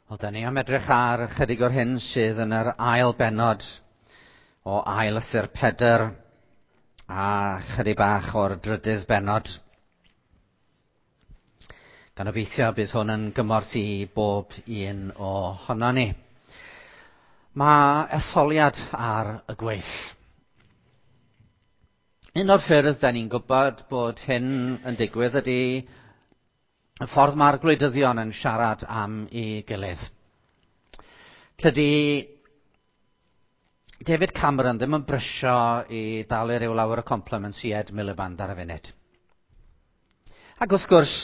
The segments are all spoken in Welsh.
Wel, da ni am edrych ar ychydig o'r hyn sydd yn yr ail bennod o ail lythyr Pedr a chydig bach o'r drydydd bennod. Gan obeithio bydd hwn yn gymorth i bob un ohonon ni. Mae etholiad ar y gweill. Un o'r ffyrdd da ni'n gwybod bod hyn yn digwydd ydy y ffordd mae'r gwleidyddion yn siarad am ei gilydd. Tydi David Cameron ddim yn brysio i dalu rhyw lawer o compliments i Ed Miliband ar y funud. Ac wrth gwrs,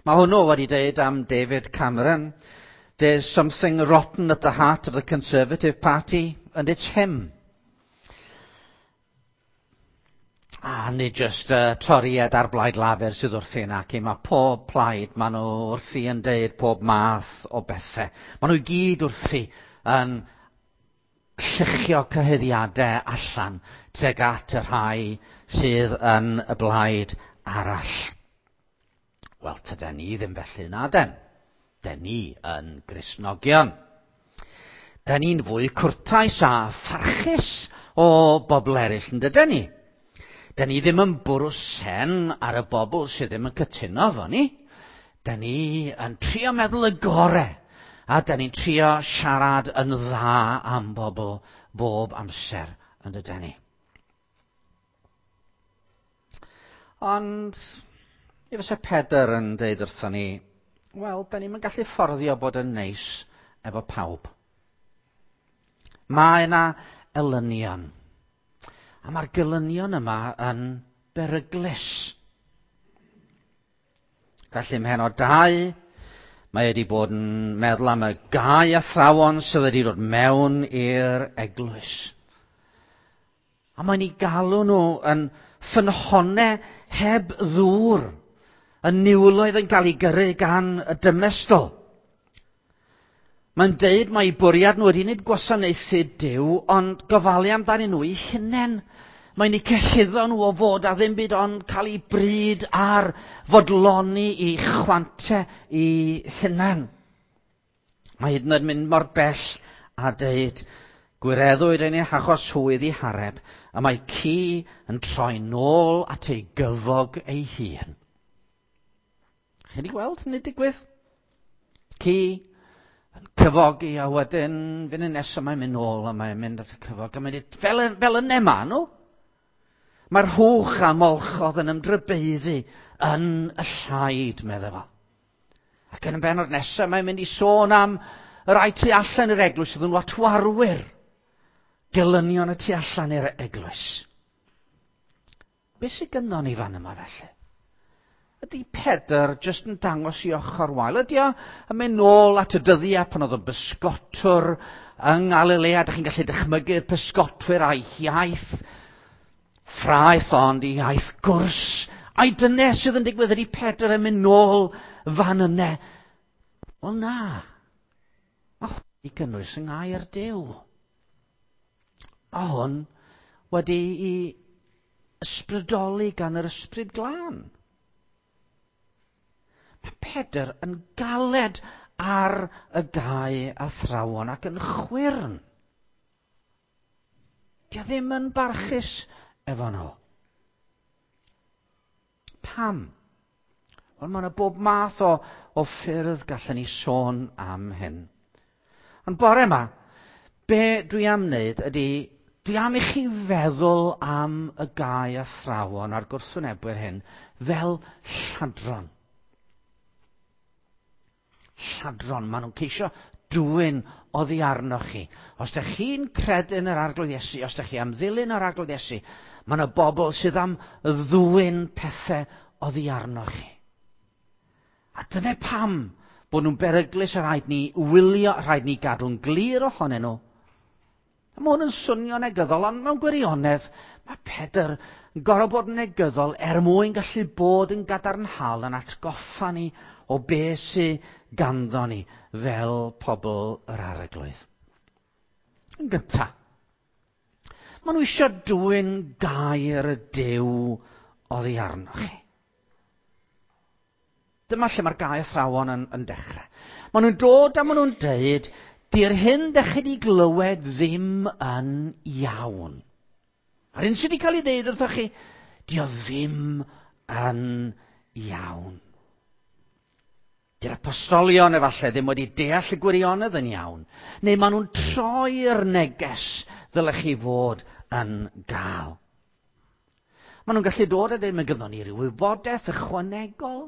mae hwnnw wedi dweud am David Cameron, "There's something rotten at the heart of the Conservative Party, and it's him." A nid jyst Torïaid a'r Blaid Lafur sydd wrthi nac i. Mae pob plaid, maen nhw wrthi yn deud pob math o bethau. Maen nhw i gyd wrthi yn lluchio cyhuddiadau allan tuag at y rhai sydd yn y blaid arall. Wel, tyden ni ddim felly na den. Den ni yn Gristnogion. Den ni'n fwy cwrtais a pharchus o bobl eraill, yn dyden ni? Den ni ddim yn bwrw sen ar y bobl sydd ddim yn cytuno efo ni. Den ni yn trio meddwl y gore, a den ni'n trio siarad yn dda am bobl bob amser, yn dyden ni? Ond, mi fysa Pedr yn deud wrthon ni, wel, da ni'm yn gallu fforddio bod yn neis efo pawb. Mae yna elynion. A mae'r gelynion yma yn beryglus. Felly ym mhennod 2, mae wedi bod yn meddwl am y gau athrawon sydd wedi dod mewn i'r eglwys. A mae'n ei galw nhw yn ffynhonnau heb ddŵr, yn niwloedd yn cael ei gyrru gan y dymestl. Mae'n deud mai bwriad nhw ydy nid gwasanaethu Duw, ond gofalu amdanyn nhw eu hunain. Mae'n eu cyhuddo nhw o fod â ddim byd ond cael eu bryd ar fodloni i chwante eu hunain. Mae hyd yn oed mynd mor bell a deud, gwireddwyd yn eu hachos hwy ddihareb, y mae ci yn troi nôl at ei gyfog ei hun. Chi wedi gweld hynny digwydd? Ci yn cyfogi a wedyn funud nesaf mae'n mynd nôl a mae'n mynd at y cyfog a mae'n dweud, fel, fel yna maen nhw. Mae'r hwch a molchodd yn ymdrybeiddu yn y llaid, meddai fo. Ac yn y bennod nesaf mae'n mynd i sôn am y rai tu allan i'r eglwys sydd yn watwarwyr. Gelynion y tu allan i'r eglwys. Be sydd gynnon ni fan yma felly? Ydy Pedr jyst yn dangos i ochr wael? Ydy o yn mynd nôl at y dyddiau pan oedd o'n bysgotwr yng Ngalilea? Dych chi'n gallu dychmygu'r pysgotwyr a'i hiaith ffraeth ond i iaith gwrs. Ai dyna sydd yn digwydd? Ydy Pedr yn mynd nôl fan yna? Wel na. Mae hwn i gynnwys yng ngair Duw. Mae hwn wedi i ysbrydoli gan yr Ysbryd Glân. Mae Pedr yn galed ar y gau athrawon ac yn chwyrn. Dio ddim yn barchus efo nhw. Pam? Wel, mae yna bob math o, o ffyrdd gallen ni sôn am hyn. Ond bore yma, be dwi am wneud ydy, dwi am i chi feddwl am y gau athrawon a'r gwrthwynebwyr hyn fel lladron. Lladron, maen nhw'n ceisio dwyn oddi arnoch chi. Os ydych chi'n credu yn yr Arglwydd Iesu, os ydych chi am ddilyn yr Arglwydd Iesu, mae yna bobl sydd am ddwyn pethau oddi arnoch chi. A dyna pam bod nhw'n beryglus a rhaid ni wylio, rhaid ni gadw'n glir ohonyn nhw. A mae hwn yn swnio negyddol, ond mewn gwirionedd, mae Pedr yn gorfod bod yn negyddol er mwyn gallu bod yn gadarnhaol yn atgoffa ni o be sy ganddo ni fel pobl yr Arglwydd. Yn gyntaf, maen nhw eisiau dwyn gair y Duw oddi arnoch chi. Dyma lle mae'r gau athrawon yn dechrau. Maen nhw'n dod a maen nhw'n deud, di'r hyn dych chi wedi glywed ddim yn iawn. A'r hyn sydd wedi cael ei ddeud wrthoch chi, di o ddim yn iawn. Di'r apostolion efallai ddim wedi deall y gwirionedd yn iawn. Neu maen nhw'n troi'r neges ddylech chi fod yn gael. Maen nhw'n gallu dod a dweud, mae gynnon ni ryw wybodaeth ychwanegol.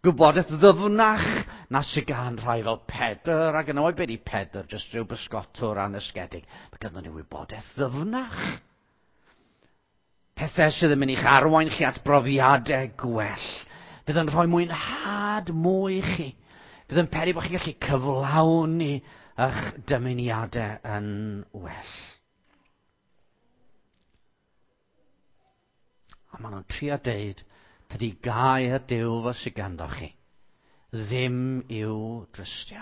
Gwybodaeth ddyfnach na sydd gan rhai fel Pedr, ac yn oed beth i Pedr, jyst rhyw bysgotwr anysgedig. Mae gynnon ni wybodaeth ddyfnach. Pethau sydd yn mynd i'ch arwain chi at brofiadau gwell. Fydd yn rhoi mwynhad mwy i chi. Fydd yn peri bod chi'n gallu cyflawni eich dymuniadau yn well. A maen nhw'n trio deud, tydi gair Duw fo sydd ganddo chi ddim i'w drystio.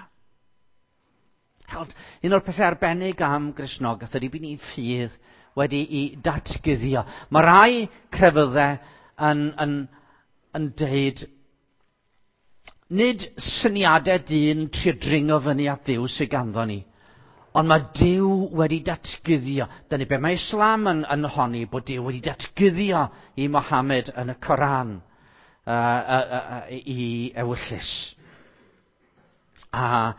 Held, un o'r pethau arbennig am Gristnogaeth ydy bod ni'n ffydd wedi'i datguddio. Mae rai crefyddau yn deud, nid syniadau dyn trio dringo fyny at Dduw sydd ganddo ni, ond mae Duw wedi datguddio. Dyna be mae Islam yn honni, bod Duw wedi datguddio i Mohammed yn y Coran i ewyllys. A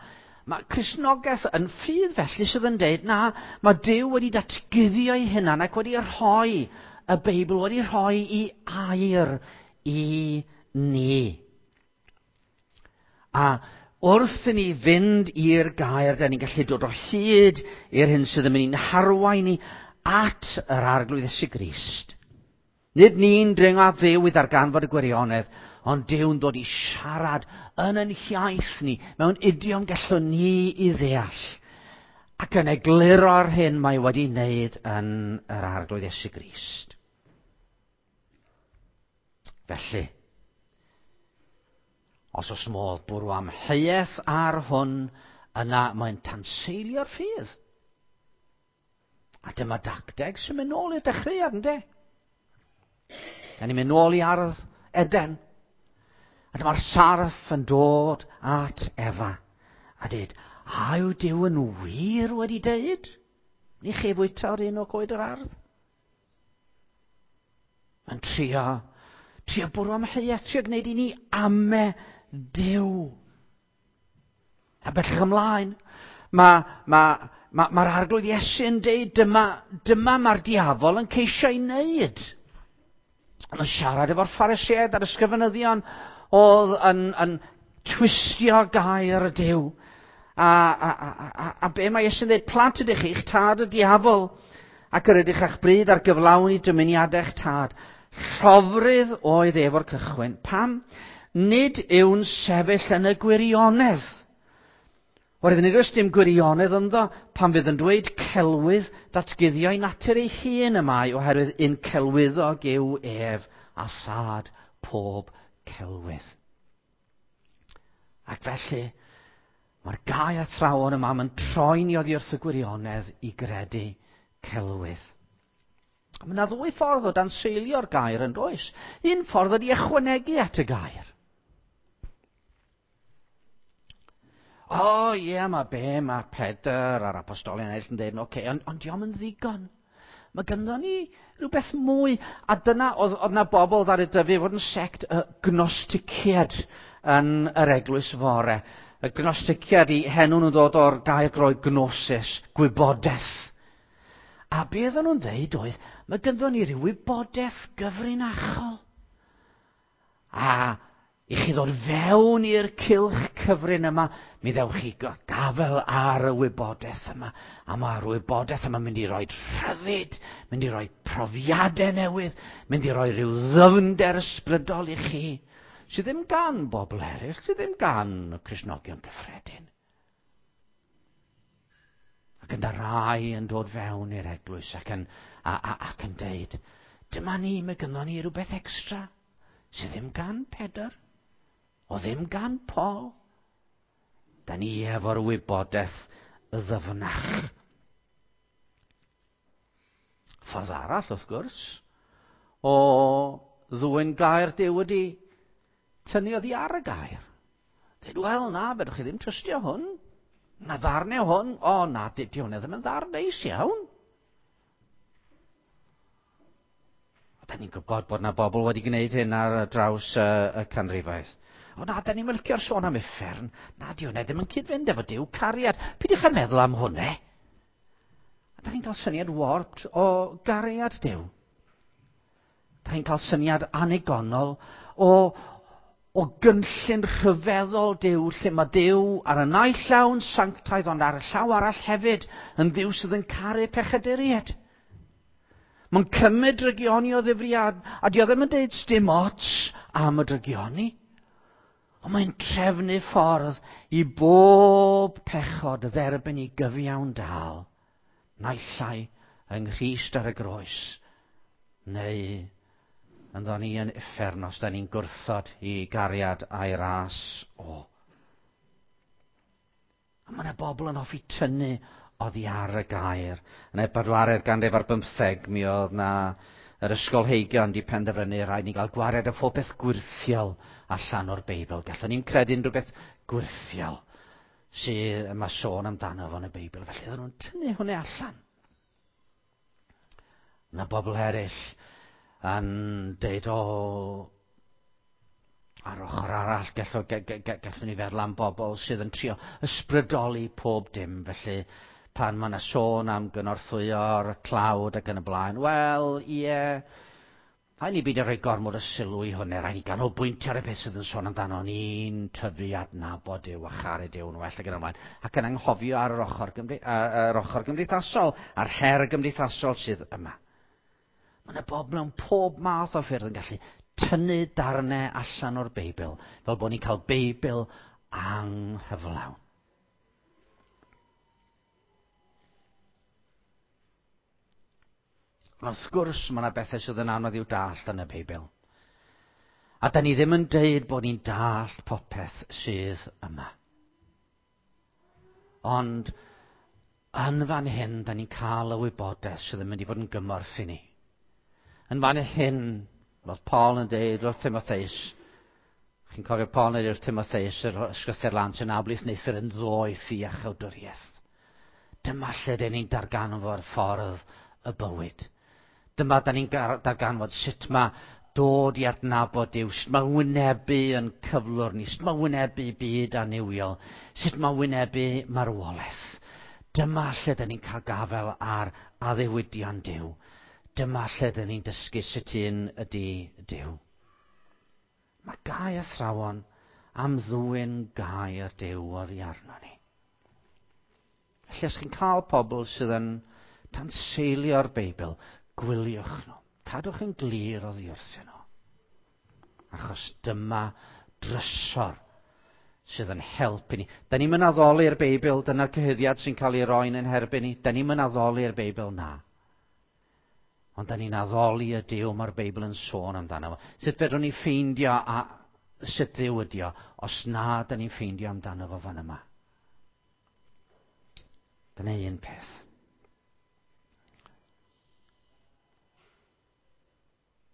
mae Cristnogaeth yn ffydd felly sydd yn deud, na, mae Duw wedi datguddio ei hunan ac wedi rhoi y Beibl, wedi rhoi i air i ni. A wrth i ni fynd i'r gair, da ni'n gallu dod o hyd i'r hyn sydd yn mynd i'n harwain ni at yr Arglwydd Iesu Grist. Nid ni'n dringo at Dduw i ddarganfod y gwirionedd, ond Duw'n dod i siarad yn ein hiaith ni, mewn idiom gallwn ni i ddeall, ac yn egluro'r hyn mae wedi wneud yn yr Arglwydd Iesu Grist. Felly, os oes modd bwrw amheuaeth ar hwn, yna mae'n tanseilio'r ffydd. A dyma dacteg sy'n mynd nôl i'r dechreuad, yndê? Da ni'n mynd nôl i ardd Eden. A dyma'r sarff yn dod at Efa. A dweud, a yw Duw yn wir wedi deud? Ni chi fwyta o'r un o goed yr ardd? Mae'n trio bwrw amheuaeth, trio gwneud i ni ame Duw. A bellach ymlaen, mae'r Arglwydd Iesu yn deud, dyma mae'r diafol yn ceisio ei wneud. Yn siarad efo'r Phariseaid a'r ysgrifenyddion oedd yn twistio gair y Duw. A be mae Iesu'n dweud, plant ydych chi'ch tad y diafol, ac yr ydych a'ch bryd ar gyflawni dymuniadau'ch tad. Llofrudd oedd ef o'r cychwyn. Pam? Nid yw'n sefyll yn y gwirionedd. Oherwydd nid oes dim gwirionedd ynddo, pan fydd yn dweud celwydd, datguddio'i natur ei hun y mae, oherwydd un celwyddog yw ef a thad pob celwydd. Ac felly, mae'r gau athrawon yma yn troi ni oddi wrth y gwirionedd i gredu celwydd. Mae yna ddwy ffordd o danseilio'r gair yn does. Un ffordd ydy ychwanegu at y gair. O, ie, mae be, mae Pedr a'r apostolion eraill yn dweud, oce, ond dio'm yn ddigon. Mae gynnon ni rhywbeth mwy. A dyna, oedd yna bobl ddaru dyfu fod yn sect y gnosticiad yn yr eglwys fore. Y gnosticiad i henw nhw'n dod o'r gair Groeg gnosis, gwybodaeth. A be oedden nhw'n dweud oedd, mae gynnon ni ryw wybodaeth gyfrinachol. A i chi ddod fewn i'r cylch cyfrin yma, mi ddewch chi gafel ar y wybodaeth yma. A mae'r wybodaeth yma'n mynd i roi rhyddid, mynd i roi profiadau newydd, mynd i roi rhyw ddyfnder ysbrydol i chi, sydd ddim gan bobl eraill, sydd ddim gan y Cristnogion cyffredin. Ac yna rai yn dod fewn i'r eglwys ac yn deud, dyma ni, mae gynnon ni rhywbeth extra sydd ddim gan Pedr, o ddim gan Paul. Da ni efo'r wybodaeth ddyfnach. Ffordd arall, wrth gwrs, o ddwyn gair Duw ydy tynnu oddi ar y gair. Dweud, wel na, fedrwch chi ddim trystio hwn. Na ddarnau hwn. O na, di hwnna ddim yn ddarn neis iawn. A da ni'n gwybod bod na bobl wedi gwneud hyn ar draws y canrifoedd. O na, da ni'n licio'r sôn am uffern. Na, di hwnna ddim yn cyd-fynd efo Duw cariad. Peidiwch â meddwl am hwnna. A da chi'n cael syniad warped o gariad Duw. Da chi'n cael syniad anigonol o gynllun rhyfeddol Duw, lle mae Duw ar y naill llaw yn sanctaidd, ond ar y llaw arall hefyd yn Dduw sydd yn caru pechaduriaid. Mae'n cymryd drygioni o ddifriad, a di o ddim yn deud sdim ots am y drygioni. Ond mae'n trefnu ffordd i bob pechod dderbyn i gyfiawn dal, naill ai yng Nghrist ar y groes, neu ynddo ni yn uffern os da ni'n gwrthod i gariad a'i ras o. A mae yna bobl yn hoffi tynnu oddi ar y gair. Yn y bedwaredd ganrif ar bymtheg, mi oedd na yr ysgolheigion di penderfynu rhaid ni gael gwared o phob peth gwyrthiol allan o'r Beibl. Gallwn ni'n credu unrhyw beth gwyrthiol sydd yma sôn amdano fo yn y Beibl. Felly oedden nhw'n tynnu hwnna allan. Yna bobl eraill yn deud, o, ar ochr arall, gallwn ni feddwl am bobl sydd yn trio ysbrydoli pob dim. Felly, pan mae yna sôn am gynorthwyo'r tlawd ac yn y blaen, wel, ie, rhaid ni beidio rhoi gormod o sylw i hwnna, rhaid ni ganolbwyntio ar y peth sydd yn sôn amdano ni'n tyfu adnabod Duw a charu Duw yn well ac yn y blaen, ac yn anghofio ar yr ochr, yr ochr gymdeithasol, a'r her gymdeithasol sydd yma. Mae yna bobl mewn pob math o ffyrdd yn gallu tynnu darnau allan o'r Beibl, fel bod ni'n cael Beibl anghyflawn. Ond wrth gwrs, mae yna bethau sydd yn anodd i'w dallt yn y Beibl. A da ni ddim yn deud bod ni'n dallt popeth sydd yma. Ond yn fan hyn, da ni'n cael y wybodaeth sydd yn mynd i fod yn gymorth i ni. Yn fan hyn, fel Paul yn deud wrth Timotheus, chi'n cofio Paul yn deud wrth Timotheus, yr ysgrythur lan sy'n ablith neithr yn ddoeth i iachawdwriaeth. Dyma lle dyn ni'n darganfod ffordd y bywyd. Dyma da ni'n darganfod sut mae dod i adnabod Duw, sut mae wynebu yn cyflwr ni, sut mae wynebu byd annuwiol, sut mae wynebu marwolaeth. Dyma lle dyn ni'n cael gafael ar addewidion Duw. Dyma lle dyn ni'n dysgu sut un ydy Duw. Mae gau athrawon am ddwyn gair Duw oddi arno ni. Felly os chi'n cael pobl sydd yn tanseilio'r Beibl, gwyliwch nhw. Cadwch yn glir oddi wrthyn nhw. Achos dyma drysor sydd yn helpu ni. Da ni'n mynd addoli'r Beibl, dyna'r cyhuddiad sy'n cael ei roi'n ein herbyn ni. Da ni'n mynd addoli'r Beibl, na. Ond da ni'n addoli y Duw mae'r Beibl yn sôn amdano fo. Sut fedrwn ni ffeindio a sut Dduw ydi o, os na da ni'n ffeindio amdano fo fan yma. Dyna un peth.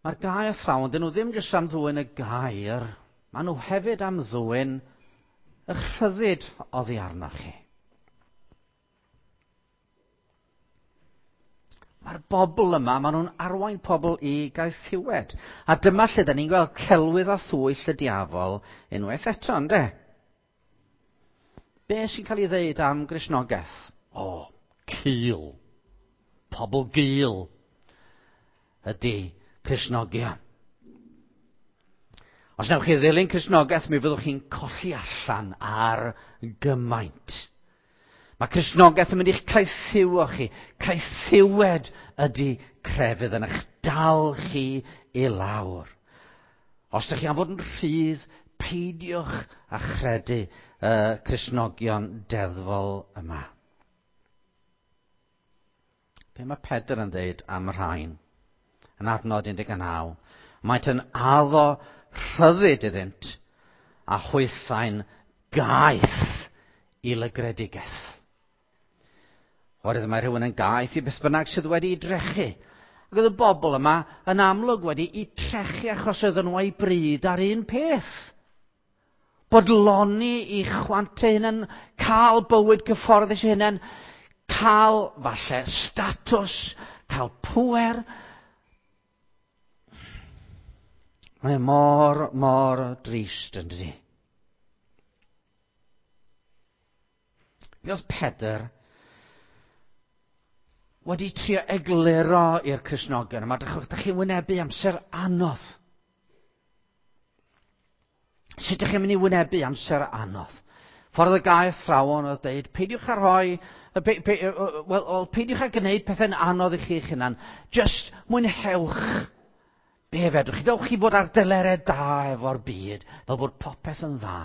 Mae'r gair athrawon, dyn nhw ddim jyst am ddwyn y gair, maen nhw hefyd am ddwyn y rhyddid oddi arnoch chi. Mae'r bobl yma, maen nhw'n arwain pobl i gaethiwed. A dyma lle da ni'n gweld celwydd a thwyll y diafol unwaith eto, ynde? Be sy'n cael ei ddeud am Gristnogaeth? O, cul. Pobl gul ydy Cristnogion. Os newch chi ddilyn Cristnogaeth, mi fyddwch chi'n colli allan ar gymaint. Mae Cristnogaeth yn mynd i'ch caethiwo chi. Caethiwed ydy crefydd yn eich dal chi i lawr. Os ydych chi am fod yn rhydd, peidiwch â chredu y Cristnogion deddfol yma. Be mae Pedr yn dweud am rhain? Yn adnod 19. Maent yn addo rhyddid iddynt a hwythau'n gaeth i lygredigaeth. Oherwydd mae rhywun yn gaeth i beth bynnag sydd wedi ei drechu. Ac oedd y bobl yma yn amlwg wedi eu trechu achos oedden nhw â'u bryd ar un peth. Bodloni i chwantau hunain, cael bywyd gyfforddus i hunain, cael falle statws, cael pŵer. Mae e mor, mor drist yn dydi? Mi oedd Pedr wedi trio egluro i'r Cristnogion yma, dych chi'n wynebu amser anodd. Sut ydych chi'n mynd i wynebu amser anodd? Ffordd y gair thrawon oedd dweud, peidiwch â rhoi, pe, pe, wel, well, peidiwch â gwneud pethau'n anodd i chi eich hunan. Just mwynhewch be fedrwch chi. Dewch chi fod ar delerau da efo'r byd, fel bod popeth yn dda.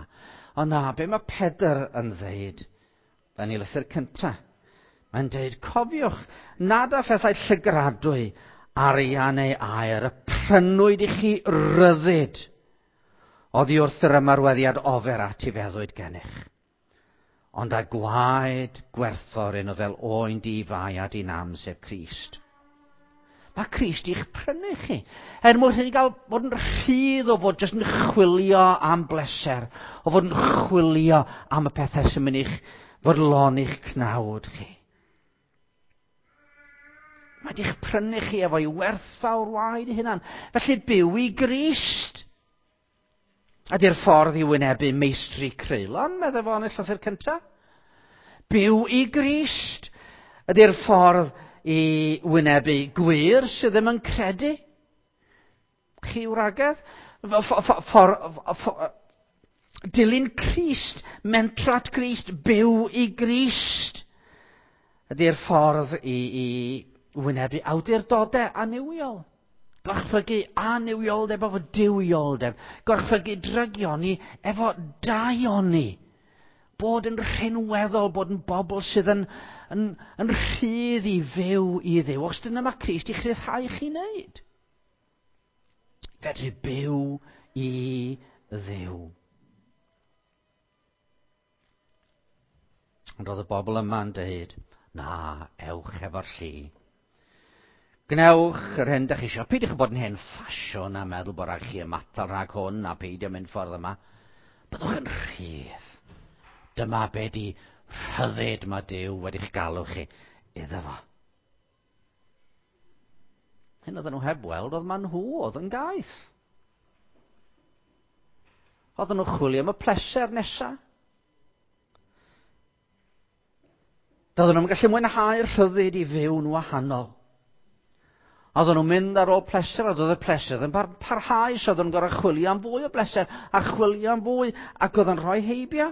Ond na, be mae Pedr yn dweud yn ei lythyr cyntaf? Mae'n dweud, cofiwch nad â phethau llygradwy arian neu aer y prynwyd i chi ryddid oddi wrth yr ymarweddiad ofer at i feddwyd gennych. Ond â gwaed gwerthfawr un o fel oen di-fai a di-nam, sef Crist. Mae Crist i'ch prynu chi. Er mwyn chi gael bod yn rhydd o fod jyst yn chwilio am bleser, o fod yn chwilio am y pethau sy'n mynd i'ch fodloni'ch cnawd chi. Mae di'ch prynu chi efo'i werthfawr waed ei hunan. Felly byw i Grist. Ydy'r ffordd i wynebu meistri creulon, meddai fo yn y llythyr cyntaf. Byw i Grist. Ydy'r ffordd i wynebu gwir sydd ddim yn credu. Chi wragedd? Dilyn Crist, mentro at Grist, byw i Grist. Ydy'r ffordd i, i wynebu awdurdodau annuwiol. Gorchfygu annuwioldeb efo duwioldeb. Gorchfygu drygioni efo daioni. Bod yn rhinweddol, bod yn bobl sydd yn, yn, yn rhydd i fyw i Dduw. Os dyna mae Crist i'ch rhyddhau chi wneud. Fedru byw i Dduw. Ond oedd y bobl yma'n dweud, na, ewch efo'r llu. Gwnewch yr hyn dych chi eisiau. Peidiwch bod yn hen ffasiwn a meddwl bod rhaid chi ymatal rhag hwn a peidio mynd ffordd yma. Byddwch yn rhydd. Dyma be di rhyddid mae Duw wedi'ch galw chi iddo fo. Hyn oedden nhw heb weld oedd ma nhw oedd yn gaeth. Oedden nhw chwilio am y pleser nesaf. Doedden nhw'n gallu mwynhau'r rhyddid i fyw'n wahanol. Oedden nhw'n mynd ar ôl pleser, a doedd y pleser ddim parhau, so oedden nhw'n gorfod chwilio am fwy o bleser, a chwilio am fwy, ac oedd yn rhoi heibio.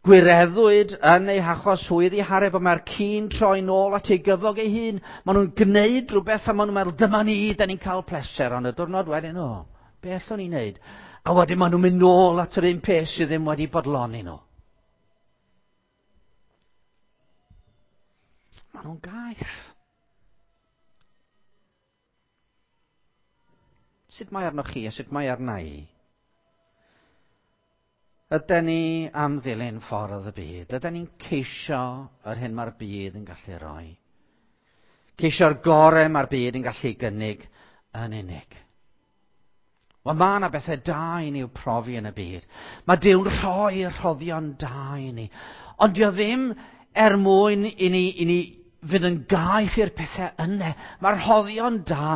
Gwireddwyd yn ei hachos hwy ddihareb, a mae'r ci'n troi nôl at ei gyfog ei hun. Maen nhw'n gwneud rhywbeth a maen nhw'n meddwl, dyma ni, da ni'n cael pleser, ond y diwrnod wedyn, o, be allwn ni wneud? A wedyn maen nhw'n mynd nôl at yr un peth sydd ddim wedi bodloni nhw. Maen nhw'n gaeth. Sut mae arnoch chi a sut mae arna i? Yden ni am ddilyn ffordd y byd? Yden ni'n ceisio yr hyn mae'r byd yn gallu rhoi? Ceisio'r gorau mae'r byd yn gallu gynnig yn unig. Wel, mae yna bethau da i ni i'w profi yn y byd. Mae Duw'n rhoi rhoddion da i ni. Ond dio ddim er mwyn i ni, i ni fynd yn gaeth i'r pethau yna. Mae'r rhoddion da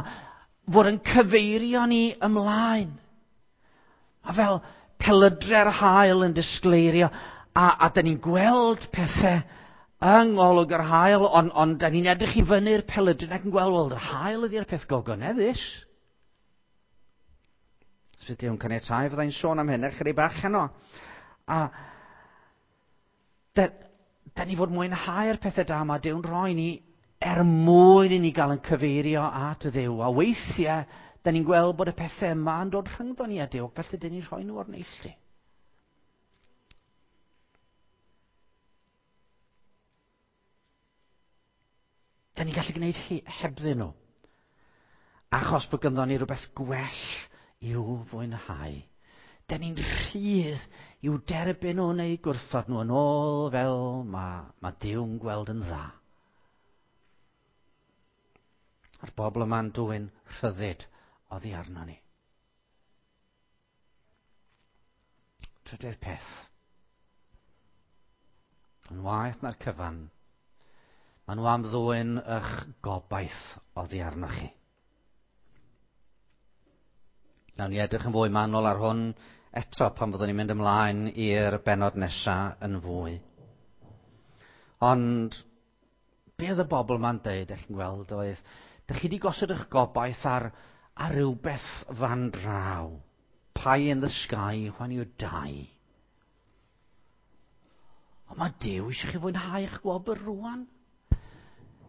fod yn cyfeirio ni ymlaen. A fel pelydre'r haul yn disgleirio, a, a da ni'n gweld pethau yng ngolwg yr haul, ond on, da ni'n edrych i fyny'r pelydryn ac yn gweld, wel, yr haul ydy'r peth gogoneddus. Os fydd Duw'n caniatáu, fyddai'n sôn am hyn ychydig bach heno. A da, da ni fod mwynhau'r pethau da mae Duw'n rhoi ni er mwyn i ni gael yn cyfeirio at Dduw. A weithiau, da ni'n gweld bod y pethau yma yn dod rhyngddo ni a Duw, felly dyn ni'n rhoi nhw o'r neilltu. Da ni'n gallu gwneud hebddyn nhw. Achos bod gynddon ni rhywbeth gwell i'w fwynhau. Da ni'n rhydd i'w derbyn nhw neu gwrthod nhw yn ôl fel mae, mae Duw'n gweld yn dda. A'r bobl yma'n dwyn rhyddid oddi arno ni. Trydydd peth. Yn waeth na'r cyfan, maen nhw am ddwyn eich gobaith oddi arnoch chi. Nawn ni edrych yn fwy manwl ar hwn eto pan fyddwn ni'n mynd ymlaen i'r bennod nesaf yn fwy. Ond be oedd y bobl ma'n deud, eich chi'n gweld, oedd, dych chi wedi gosod eich gobaith ar rhywbeth fan draw. Pie in the sky when you die. Ond mae Duw eisiau chi fwynhau eich gwobr rwan.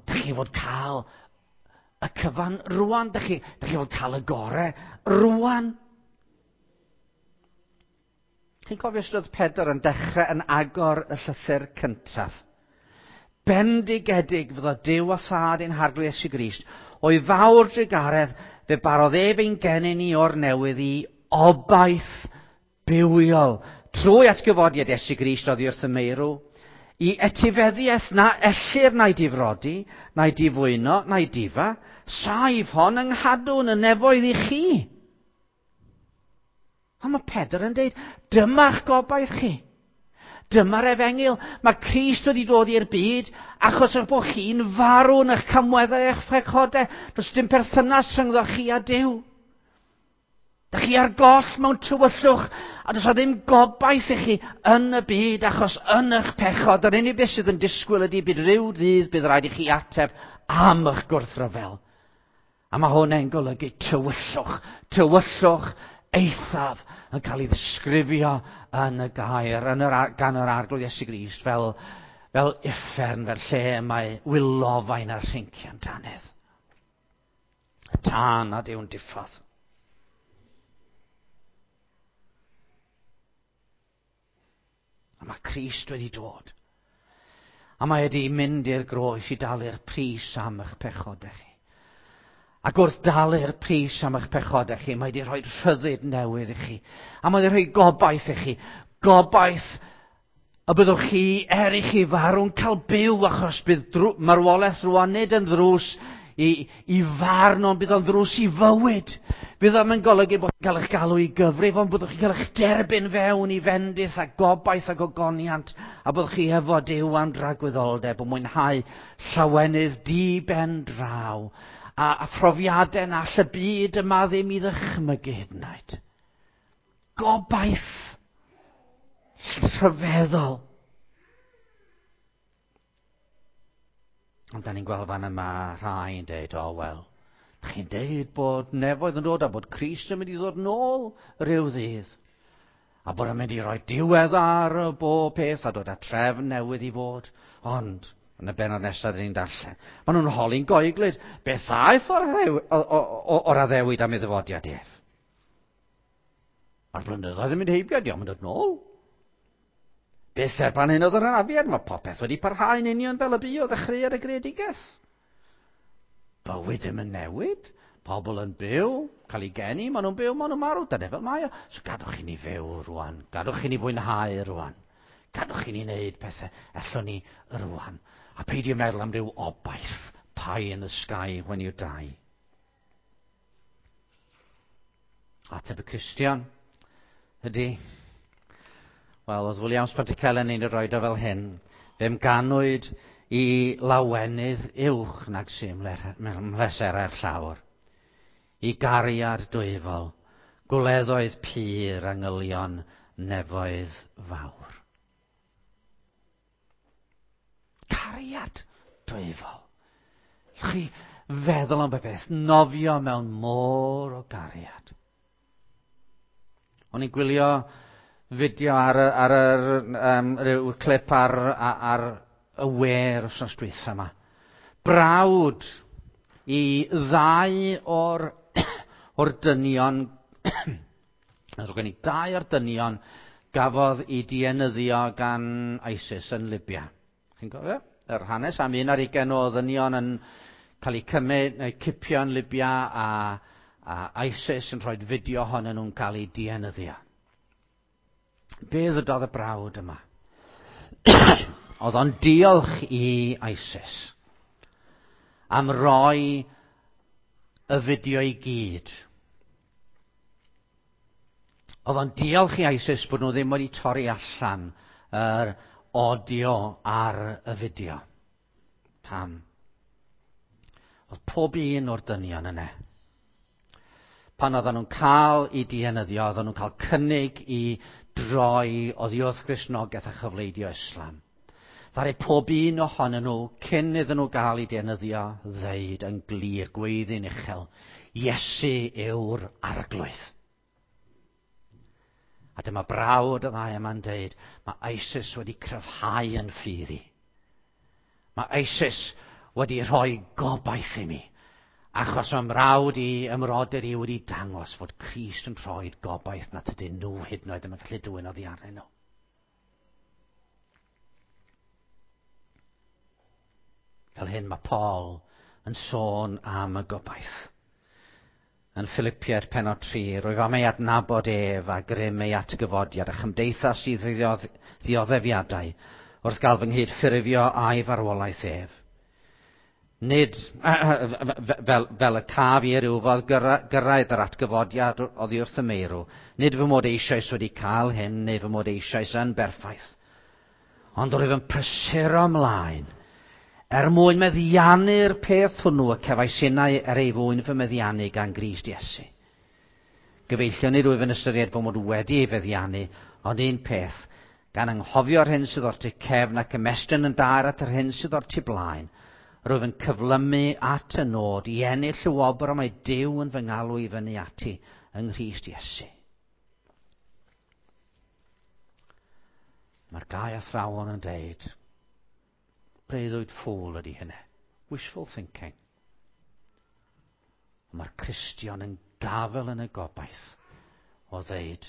Dych chi fod cael y cyfan rwan. Dych chi fod cael y gore rwan. Chi'n cofio sut oedd Pedr yn dechrau yn agor y llythyr cyntaf? Bendigedig fyddo Duw a Thad ein Harglwydd Iesu Grist, o'i fawr drugaredd fe barodd ef ein genyn ni o'r newydd i obaith bywiol, trwy atgyfodiad Iesu Grist oddi wrth y meirw, i etifeddiaeth na ellir na'i difrodi, na'i difwyno, na'i difa, saif hon yng nghadw'n y nefoedd i chi. Ond mae Pedr yn deud, dyma'ch gobaith chi. Dyma'r efengyl. Mae Crist wedi dod i'r byd achos eich bod chi'n farw yn eich camweddau eich pechodau. Does dim perthynas rhyngddo chi a Duw. Dych chi ar goll mewn tywyllwch a does ddim gobaith i chi yn y byd achos yn eich pechod. Yr unig beth sydd yn disgwyl ydy bydd rhyw ddydd bydd rhaid i chi ateb am eich gwrthryfel. A mae hwn yn golygu tywyllwch, tywyllwch eithaf yn cael ei ddisgrifio yn y gair, yn yr, gan yr Arglwydd Iesu Grist fel uffern, fel lle mae wylofain a'r rhincian dannedd. Y tân nad yw'n diffodd. A mae Crist wedi dod. A mae wedi mynd i'r groes i dalu'r pris am eich pechodau chi. Ac wrth dalu'r pris am eich pechodau chi, mae wedi rhoi rhyddid newydd i chi. A mae wedi rhoi gobaith i chi. Gobaith y byddwch chi, er i chi farw'n cael byw, achos bydd marwolaeth rwan nid yn ddrws i farn, ond bydd o'n ddrws i fywyd. Bydd o'n yn golygu bod chi'n cael eich galw i gyfrif, ond byddwch chi'n cael eich derbyn fewn i fendith a gobaith ac ogoniant, a byddwch chi efo Duw am dragwyddoldeb yn mwynhau llawenydd di-ben draw, a phrofiadau na all y byd yma ddim i ddychmygu hyd yn oed. Gobaith rhyfeddol. Ond da ni'n gweld fan yma rhai yn deud, o wel, da chi'n deud bod nefoedd yn dod a bod Crist yn mynd i ddod nôl rhyw ddydd. A bod yn mynd i roi diwedd ar y bob peth a dod â trefn newydd i fod. Ond, yn y bennod nesaf dyn ni'n darllen, maen nhw'n holi'n goeglyd, beth aeth o'r addewid am ei ddyfodiad ef? A'r blynyddoedd yn mynd heibio, dio'm yn dod nôl. Beth erbyn hyn oedd yr anafiad, mae popeth wedi parhau'n union fel y bu o ddechreuad y greadigaeth. Bywyd ddim yn newid, pobl yn byw, cael ei geni, maen nhw'n byw, maen nhw'n marw, dyna fel mae o. So gadwch i ni fyw rwan, gadwch i ni fwynhau rwan, gadwch i ni wneud pethau ellwn ni rwan. A peidio meddwl am ryw obaith, pie in the sky when you die. Ateb y Cristion ydy, wel, oedd Williams Pantycelyn yn rhoi o fel hyn, fe'm ganwyd i lawenydd uwch nag sy'n mhleserau'r llawr, i gariad dwyfol, gwleddoedd pur angylion nefoedd fawr. Cariad dwyfol. Chi feddwl am beth, nofio mewn môr o gariad. O'n i'n gwylio fideo ar ryw clip ar y we'r wythnos dwytha yma. Brawd i ddau o'r dynion, gen i dau o'r dynion gafodd ei dienyddio gan ISIS yn Libya. Chi'n cofio? Yr hanes am 21 o ddynion yn cael eu cymryd neu cipio yn Libya a ISIS yn rhoi fideo ohonyn nhw'n cael eu dienyddio. Be ddydodd y brawd yma? Oedd o'n diolch i ISIS am roi y fideo i gyd. Oedd o'n diolch i ISIS bod nhw ddim wedi torri allan yr audio ar y fideo. Pam? Oedd pob un o'r dynion yna. Pan oedden nhw'n cael eu dienyddio, oedden nhw'n cael cynnig i droi oddi wrth Gristnogaeth a chyfleidio Islam. Ddaru pob un ohonyn nhw, cyn iddyn nhw gael eu dienyddio, ddeud yn glir, gweiddi'n uchel, Iesu yw'r arglwydd. A dyma brawd y ddau yma'n deud, mae ISIS wedi cryfhau yn ffydd i. Mae ISIS wedi rhoi gobaith i mi. Achos mae mrawd i, ymrodyr i wedi dangos fod Crist yn rhoi gobaith na tydyn nhw hyd yn oed ddim yn gallu dwyn oddi arnyn nhw. Fel hyn mae Paul yn sôn am y gobaith. Yn Philippiaid pennod 3, rwyf am ei adnabod ef a grym ei atgyfodiad a chymdeithas i ddioddefiadau wrth gael fy nghyd-ffurfio a'i farwolaeth ef. Nid fel, fel y caf i ryw fodd gyrraedd yr atgyfodiad oddi wrth y meirw. Nid fy mod eisoes wedi cael hyn, neu fy mod eisoes yn berffaith. Ond rwyf yn prysuro ymlaen er mwyn meddiannu'r peth hwnnw y cefais innau er ei fwyn fy meddiannu gan Grist Iesu. Gyfeillion, nid wyf yn ystyried fy mod wedi ei feddiannu, ond un peth, gan anghofio'r hyn sydd o'r tu cefn ac ymestyn yn daer at yr hyn sydd o'r tu blaen, rwyf yn cyflymu at y nod i ennill y wobr y mae Duw yn fy ngalw i fyny ati yng Nghrist Iesu. Mae'r gau athrawon yn deud, breuddwyd ffôl ydy hynny. Wishful thinking. Mae'r Cristion yn gafel yn y gobaith o ddeud,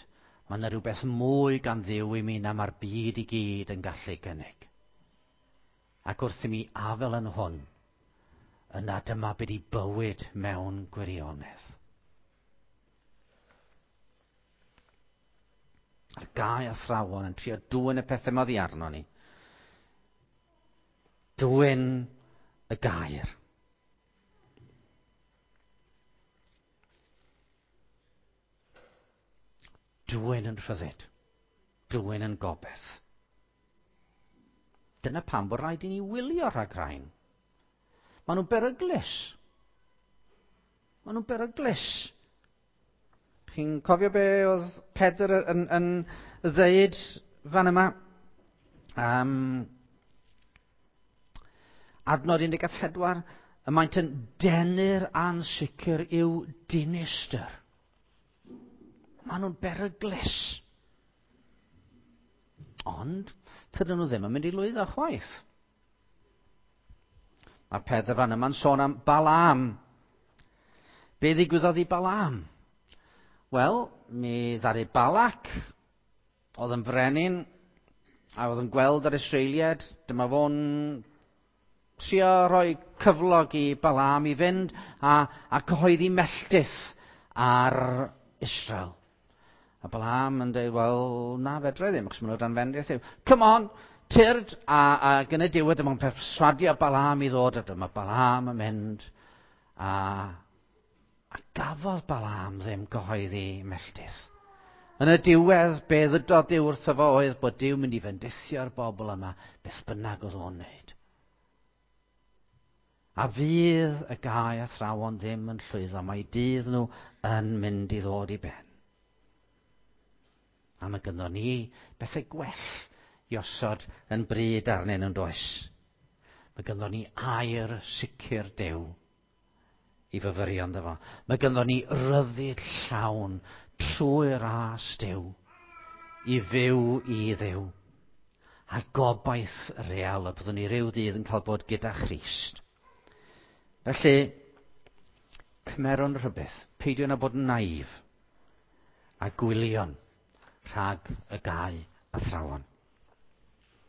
mae yna rhywbeth mwy gan Dduw i mi na mae'r byd i gyd yn gallu gynnig. Ac wrth i mi afel yn hwn, yna dyma byd i bywyd mewn gwirionedd. A'r gau athrawon yn trio dwyn y pethau yma oddi arno ni. Dwyn y gair. Dwyn yn rhyddid. Dwyn yn gobeith. Dyna pam bod rhaid i ni wylio rhag rhain. Maen nhw'n beryglus. Maen nhw'n beryglus. Chi'n cofio be oedd Pedr yn, yn ddeud fan yma? Adnod 14, y maent yn denu'r ansicr i'w dinistr. Maen nhw'n beryglus. Ond, tydyn nhw ddim yn mynd i lwyddo chwaith. Mae Pedr fan yma'n sôn am Balaam. Be ddigwyddodd i Balaam? Wel, mi ddaru Balak, oedd yn frenin, a oedd yn gweld yr Israeliad, dyma fo'n trio rhoi cyflog i Balaam i fynd a, a cyhoeddi melltith ar Israel. A Balaam yn dweud, wel, na, fedra i ddim, achos maen nhw dan fendith. Come on, tyrd, a, a yn y diwedd dyma'n perswadio Balaam i ddod, a dyma Balaam yn mynd, a, a gafodd Balaam ddim gyhoeddi melltith. Yn y diwedd, be ddydodd Duw wrtho fo oedd bod Duw mynd i fendithio'r bobl yma, beth bynnag oedd o'n wneud. A fydd y gau athrawon ddim yn llwyddo, mae dydd nhw yn mynd i ddod i ben. A mae gynno ni bethau gwell i osod yn bryd arnyn nhw'n does. Mae gynno ni air sicr Duw i fyfyrio ynddo fo. Mae gynno ni ryddid llawn trwy ras Duw i fyw i Dduw. A gobaith real y byddwn ni ryw ddydd yn cael bod gyda Christ. Felly, cymerwn rhywbeth, peidio na bod yn naif, a gwylion rhag y gau athrawon.